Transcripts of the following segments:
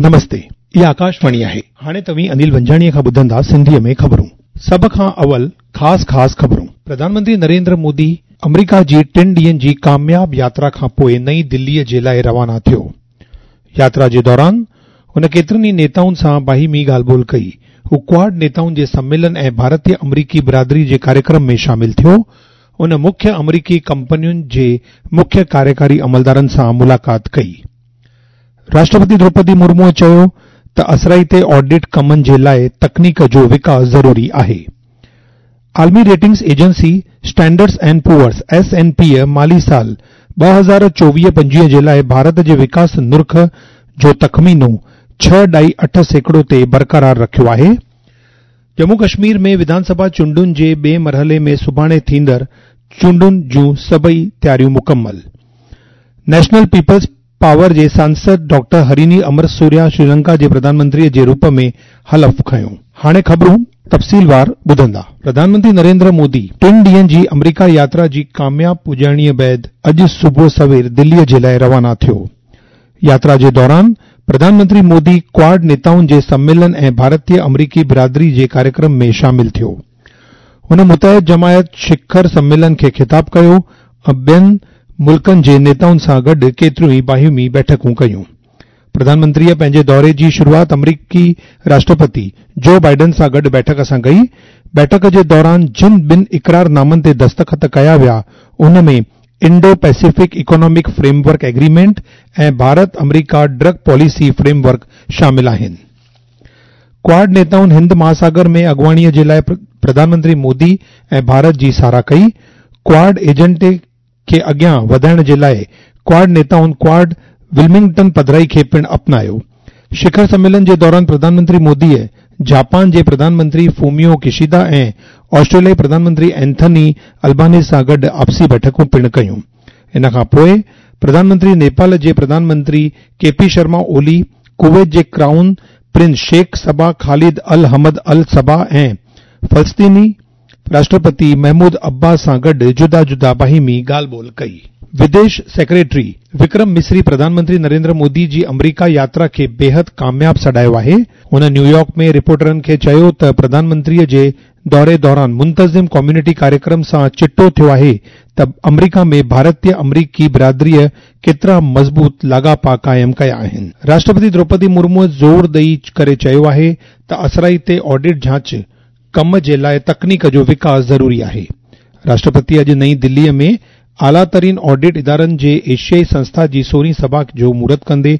نمستي، اها آڪاشواڻي آهي. هاڻي توهين انيل ونجاڻيء کان ٻڌندا سنڌيء ۾ خبرون. سڀ کان اول خاص خاص خبرون. پرڌان منتري نريندر مودي آمريڪا جي ٽن ڏينهن جي ڪامياب ياترا کان پوء نئين دليء جي لاء روانا ٿيو. ياترا جي دوران هن ڪيترن ئي نيتائن سان باهمي ڳالهه ٻولهه ڪئي. هو ڪواڊ نيتائن جي سميلن ۽ ڀارتي آمريڪي برادري جي ڪاريڪرم ۾ شامل ٿيو. هن مکيه آمريڪي ڪمپنين جي مکيه ڪاريڪاري عملدارن سان ملاقات ڪئي. راشٽرپتي دروپدي مرموء چيو ته اثرائتي آڊٽ ڪمن جي لاء تڪنيڪ جو وڪاس ضروري آهي. عالمي ratings agency Standards and Poor's, S and P, مالي سال 2024-25 جي لاء ڀارت جي وڪاس نرخ جو تخمينو 6.8% تي برقرار رکيو آهي. ڄمون ڪشمير ۾ وڌان سڀا چونڊن جي ٻئي مرحلي ۾ سڀاڻي ٿيندڙ چونڊن جون سڀئي تياريون مڪمل. نيشنل پيپلز پاور جي سانسد ڊاڪٽر هريني امرسوريا شريلنڪا جي پرڌان منتري جي روپ ۾ حلف کنيو. هاڻي خبرون تفصيلوار ٻڌندا. پرڌان منتري نريندر مودي ٽن ڏينهن جي آمريڪا ياترا جي ڪامياب پڄاڻيء بعد اڄ صبح سوير دليء جي لاء روانا ٿيو. ياترا جي دوران پرڌان منتري مودي ڪواڊ نيتائن جي سميلن ۽ ڀارتي آمريڪي برادري جي ڪاريڪرم ۾ شامل ٿيو. هن متحد جماعت شکر سميلن کي خطاب ڪيو ۽ ٻين ملڪن جي نيتائن سان گڏ ڪيتريون ئي باهمي بيٺڪون ڪيون. پرڌان منتريء پنهنجي دوري جي شروعات آمريڪي راشٽرپتي جو بائيڊن سان گڏ بيٺڪ سان ڪئي. بيٺڪ جي دوران جن ٻن اقرار نامن تي دستخط ڪيا ويا ان ۾ Indo Pacific economic framework agreement ۽ Bharat America drug policy framework شامل آهن. ڪواڊ نيتائن هند مهاساگر ۾ اڳواڻيء جي لاء پرڌان منتري مودي ۽ ڀارت جي ساراهه ڪئي. ڪواڊ ايجنڊي کي اڳيان وڌائڻ جي لاء ڪواڊ نيتائن ڪواڊ ولمنگٽن پڌرائي کي پڻ اپنايو. شکر سميلن جي دوران پرڌان منتري موديء جاپان جي پرڌان منتري فوميو ڪشيدا ۽ آسٽريليائي پرڌان منتري اينٿني البانيز سان گڏ آپسي بيٺڪون پڻ ڪيون. ان کان پوء پرڌان منتري نيپال جي پرڌان منتري ڪي پي شرما اولي، ڪويت جي crown prince Sheikh Sabah Khalid Al Hamad Al Sabah ۽ فلسطيني راشٽرپتي محمود عباس سان گڏ جدا جدا باهمي ڳالهه ٻولهه ڪئي. وديش سيڪريٽري وڪرم مصري پرڌان منتري نريندر مودي جي آمريڪا ياترا کي بيحد ڪامياب سڏايو آهي. هن نيويارڪ ۾ رپورٽرن کي چيو ته پرڌان منتري جي دوري دوران منتظم ڪميونٽي ڪاريڪرم سان چٽو ٿيو آهي ته آمريڪا ۾ ڀارتي آمريڪي برادريء ڪيترا مضبوط لاڳاپا قائم ڪيا آهن. راشٽرپتي دروپدي مرموء زور ڏئي ڪري چيو آهي ته اثرائتي آڊٽ جاچ ڪم جي لاء تڪنيڪ جو وڪاس ضروري آهي. راشٽرپتي اڄ نئين دليء ۾ اعليٰ ترين آڊٽ ادارن جي ايشيائي سنسٿا جي سورهين سڀا جو مهورت ڪندي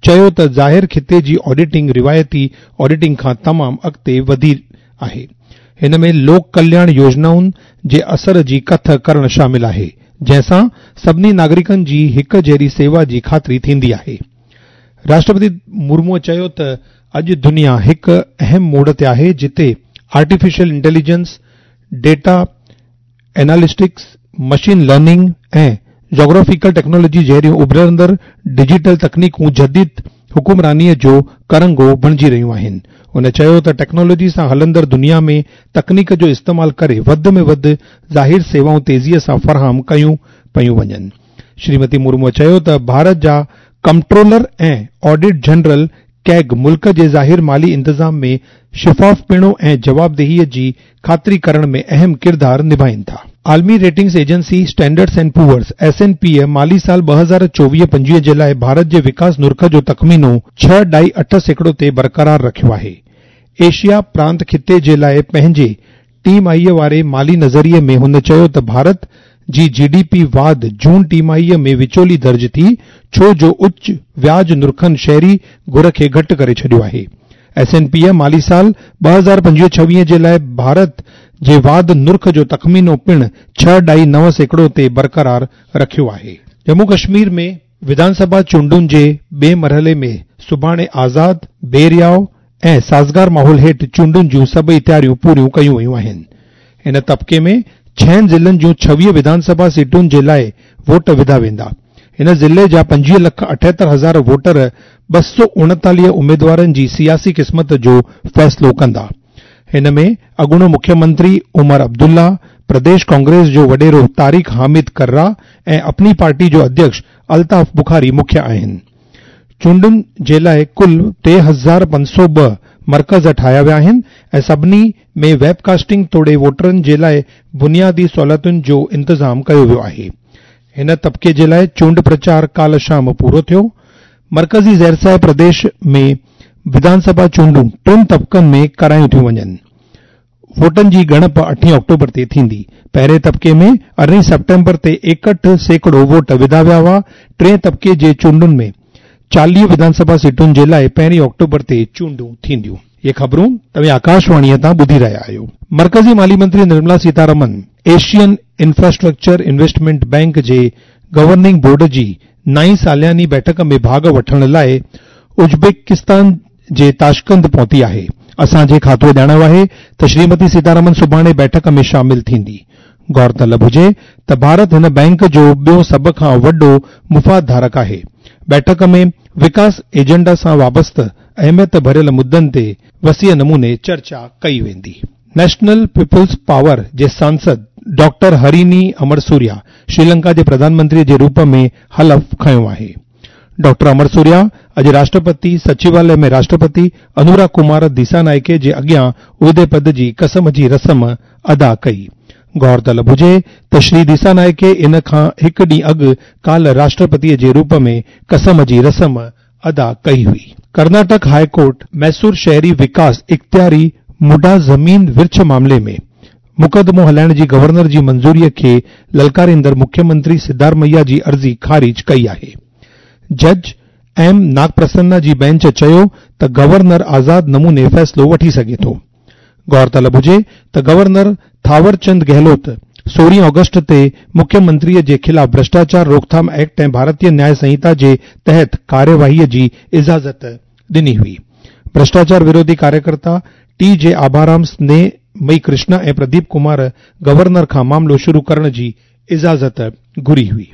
چيو ته ظاهر خطي جي آڊيٽنگ روايتي آڊيٽنگ کان تمام اڳتي وڌي آهي. هن ۾ لوڪ ڪلياڻ يوجنائن جي اثر جي ڪٿ ڪرڻ شامل آهي، جنهن سان سڀني ناگرڪن جي هڪ جهڙي سيوا جي خاطري ٿيندي آهي. راشٽرپتي مرموء چيو ته اڄ دنيا هڪ اهم موڙ تي آهي جتي artificial intelligence, data analytics, machine learning ۽ geographical technology جهڙيون اڀرندڙ ڊجيٽل تڪنيڪون جديد حڪمرانيء جو ڪرنگهو بڻجي رهيون آهن. هن چيو ته ٽيڪنالاجي سان هلندڙ دنيا ۾ تڪنيڪ جو استعمال ڪري وڌ ۾ وڌ ظاهر سيوائون تيزيء سان فراهم ڪيون پيون وڃن. شريمتي مرموء چيو ته ڀارت جا ڪمپٽرولر ۽ آڊٽ جنرل ڪيگ ملڪ جي ظاهر مالي انتظام ۾ شفافپڻو ۽ جوابدهيء جي خاطري ڪرڻ ۾ اهم ڪردار نڀائين ٿا. عالمي ratings agency Standards and Poor's, S and P, مالي سال 2024-25 جي لاء ڀارت جي وڪاس نرخ جو تخمينو 6.8% تي برقرار رکيو آهي. ايشيا پرانت خطي جي لاء پنهنجي ٽه ماهيء واري مالي نظريي ۾ هن چيو ته ڀارت جي جي ڊي پي واڌ جون ٽماهيء ۾ وچولي درج ٿي ڇو جو اچ وياج نرخن شهري گهر کي گهٽ ڪري ڇڏيو آهي. ايس اينڊ پيء مالي سال 2025-26 جي لاء ڀارت جي واڌ نرخ جو تخمينو پڻ 6.9% تي برقرار رکيو آهي. ڄمون ڪشمير ۾ وڌان سڀا چونڊن جي ٻئي مرحلي ۾ سڀاڻي آزاد، بي رياء ۽ سازگار ماحول هيٺ چونڊن جون سڀئي تياريون پوريون ڪيون ويون آهن. ان طبقي ۾ ڇهن ضلعن جون 26 وڌان سڀا سيٽن جي لاء ووٽ وڌا ويندا. هن ضلعي جا 25 لک 78 هزار ووٽر 239 اميدوارن جي سياسي قسمت جو فيصلو ڪندا. هن ۾ اڳوڻو مکيه منتري عمر عبدالله، پرديش ڪانگريس جو وڏيرو طارق حامد ڪرا ۽ اپني پارٽي جو اڌيڪش الطاف بخاري مکيه آهن. چونڊن جي لاء ڪل 3502 مرڪز ٺاهيا ويا آهن ۽ سڀني ۾ ويب ڪاسٽنگ توڙي ووٽرن جي لاء بنيادي سهولتن جو انتظام ڪيو ويو آهي. هن طبقي جي لاء چونڊ پرچار ڪالهه شام پورو ٿيو. مرڪزي زيرسايه پرديش ۾ وڌان سڀا چونڊون ٽن طبقن ۾ ڪرايون ٿيون وڃن. ووٽن جي ڳڻپ اٺين آڪٽوبر تي ٿيندي. پهرين طبقي ۾ ارڙهين سيپٽمبر تي 61% ووٽ وڌا ويا هئا. ٽئين طبقي جي چونڊن ۾ 40 وڌان سڀا سيٽن جي لاء پهرين آڪٽوبر تي چونڊون ٿينديون. اهي خبرون توهين آڪاشواڻيء تان ٻڌي رهيا آهيو. مرڪزي مالي منتري Nirmala Sitharaman Asian infrastructure investment bank جي گورننگ بورڊ جي نائين سالياني بيٺڪ ۾ ڀاڳ وٺڻ لاء ازبڪستان جي تاشقند پهتي آهي. اسان جي کاتوء ڄاڻايو آهي ته شريمتي سيتارامن سڀاڻي بيٺڪ ۾ شامل ٿيندي. غور طلب هجي ته ڀارت هن بئنڪ جو ٻيو سڀ کان وڏو مفاد ڌارڪ آهي. بيٺڪ ۾ وڪاس ايجنڊا سان وابسته اهميت ڀريل مدن تي وسيع نموني چرچا ڪئي ويندي. نيشنل پيپلز پاور جي سانسد ڊاڪٽر هريني امرسوريا شريلنڪا جي پرڌان منتري جي روپ ۾ حلف کنيو آهي. ڊاڪٽر امرسوريا اڄ راشٽرپتي سچواليه ۾ راشٽرپتي انورا ڪمار ديسانائڪي جي اڳيان عهدي پد جي قسم جي رسم ادا ڪئي. غور طلب هجي ته شري ديسانائڪي ان کان هڪ ڏينهن اڳ ڪالهه راشٽرپتي جي روپ ۾ قسم جي رسم ادا ڪئي هئي. ڪرناٽڪ هاء ڪورٽ ميسور شهري وڪاس اختياري مڊا زمين ورڇ معاملي ۾ مقدمو هلائڻ جي گورنر جي منظوري کي للڪاريندڙ مکيه منتري سڌارمئيا جي عرضي خارج ڪئي آهي. جج ايم ناگپرسنا جي بئنچ چيو ته گورنر آزاد نموني فيصلو وٺي سگهي ٿو. غور طلب هجي ته گورنر ٿاور چند گهلوت 16 آگسٽ تي مکيه منتري جي خلاف ڀرشٽاچار روڪٿام ايڪٽ ۽ ڀارتيه نياء سنهتا جي تحت ڪارروائي جي اجازت ڏني هئي. ڀرشٽاچار وروڌي ڪاريڪرتا ٽي جي آڀارام سنيهه مئي ڪرشنا ۽ پرديپ ڪمار گورنر کان معاملو شروع ڪرڻ جي اجازت گهري هئي.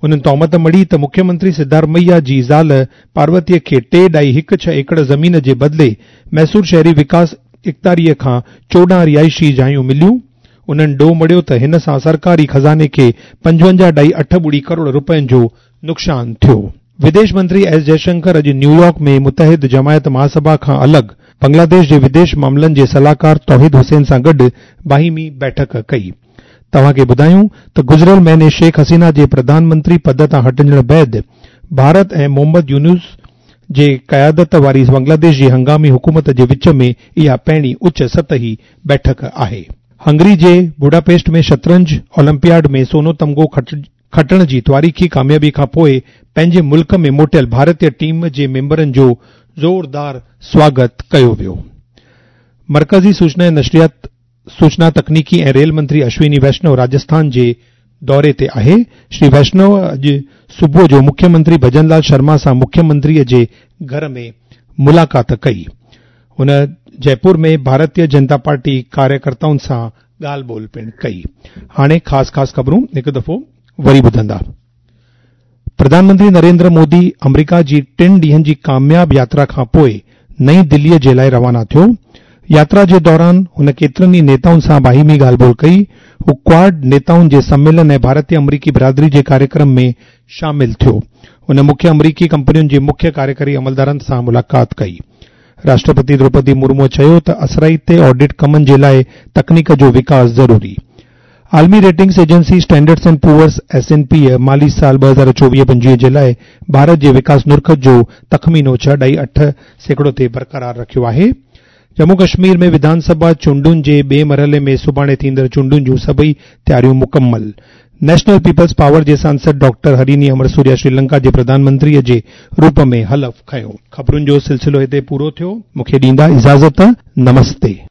انهن تهمت مڙهي ته مکيه منتري سڌارمئيا جي زال پاروتيء کي ٽي ڏائي هڪ ڇهه ايڪڙ زمين جي بدلي ميسور شهري وڪاس اختياريء کان 14 رهائشي جايون مليون. انهن ڏوهه مڙهيو ته هن سان سرڪاري خزاني کي پنجونجاهه ڏائي اٺ ٻڙي ڪروڙ رپين جو نقصان ٿيو. وديش منتري ايس جئشنڪر اڄ نيويارڪ ۾ متحد جماعت مهاسڀا کان الڳ بنگلاديش جي وديش معاملن جي صلاحڪار توحيد حسين سان گڏ باهمي بيٺڪ ڪئي. توهان کي ٻڌايون ته گذريل مهيني شيخ حسينه جي پرڌان منتري پد تان هٽجڻ بعد ڀارت ۽ محمد يونس جي قيادت واري بنگلاديش جي هنگامي حڪومت جي وچ ۾ اها پهرين اچ سطحي بيٺڪ آهي. هنگري جي بوڊاپيسٽ ۾ شطرنج اولمپياڊ ۾ سونو تمغو کٽڻ جي تواريخي ڪاميابي کان پوء پنهنجي ملڪ ۾ موٽيل ڀارتي ٽيم جي ميمبرن جو زوردار سواگت ڪيو ويو. مرڪزي سوچنا ۽ نشريات، سوچنا تڪنيڪي ۽ ريل منتري اشويني ويشنو راجسٿان جي دوري تي آهي. شري ويشنو اڄ صبح جو مکيه منتري ڀجن لال شرما سان مکيه منتري جي گهر ۾ ملاقات ڪئي. هن جئپور ۾ ڀارتيه جنتا پارٽي ڪاريڪرتائن سان ڳالهه ٻولهه پڻ ڪئي. هاڻي خاص خاص خبرون هڪ دفعو وري ٻڌندا. پرڌان منتري نريندر مودي آمريڪا جي ٽن ڏينهن جي ڪامياب ياترا کان پوء نئين دليء جي لاء روانا ٿيو. ياترا جي دوران هن ڪيترن ئي نيتائن سان باهمي ڳالهه ٻولهه ڪئي. هو ڪواڊ نيتائن جي سميلن ۽ ڀارتي آمريڪي برادري جي ڪاريڪرم ۾ شامل ٿيو. هن مکيه آمريڪي ڪمپنين جي مکيه ڪاريڪاري عملدارن سان ملاقات ڪئي. راشٽرپتي دروپدي مرمو چيو ته اثرائتي آڊٽ ڪمن جي لاء تڪنيڪ جو وڪاس ضروري. عالمي ratings agency standards and Poor's, S and P, مالي سال 2024-25 جي لاء ڀارت جي وڪاس نرخ جو تخمينو 6.8% تي برقرار رکيو آهي. ڄمون ڪشمير ۾ وڌان سڀا چونڊن جي ٻئي مرحلي ۾ سڀاڻي ٿيندڙ چونڊن جون سڀئي تياريون مڪمل. نيشنل پيپلز پاور جي سانسد ڊاڪٽر هريني امرسوريا شريلنڪا جي پرڌان منتري جي روپ ۾ حلف کنيو. خبرن جو سلسلو هتي پورو ٿيو. مون کي ڏيندا اجازت. نمستي.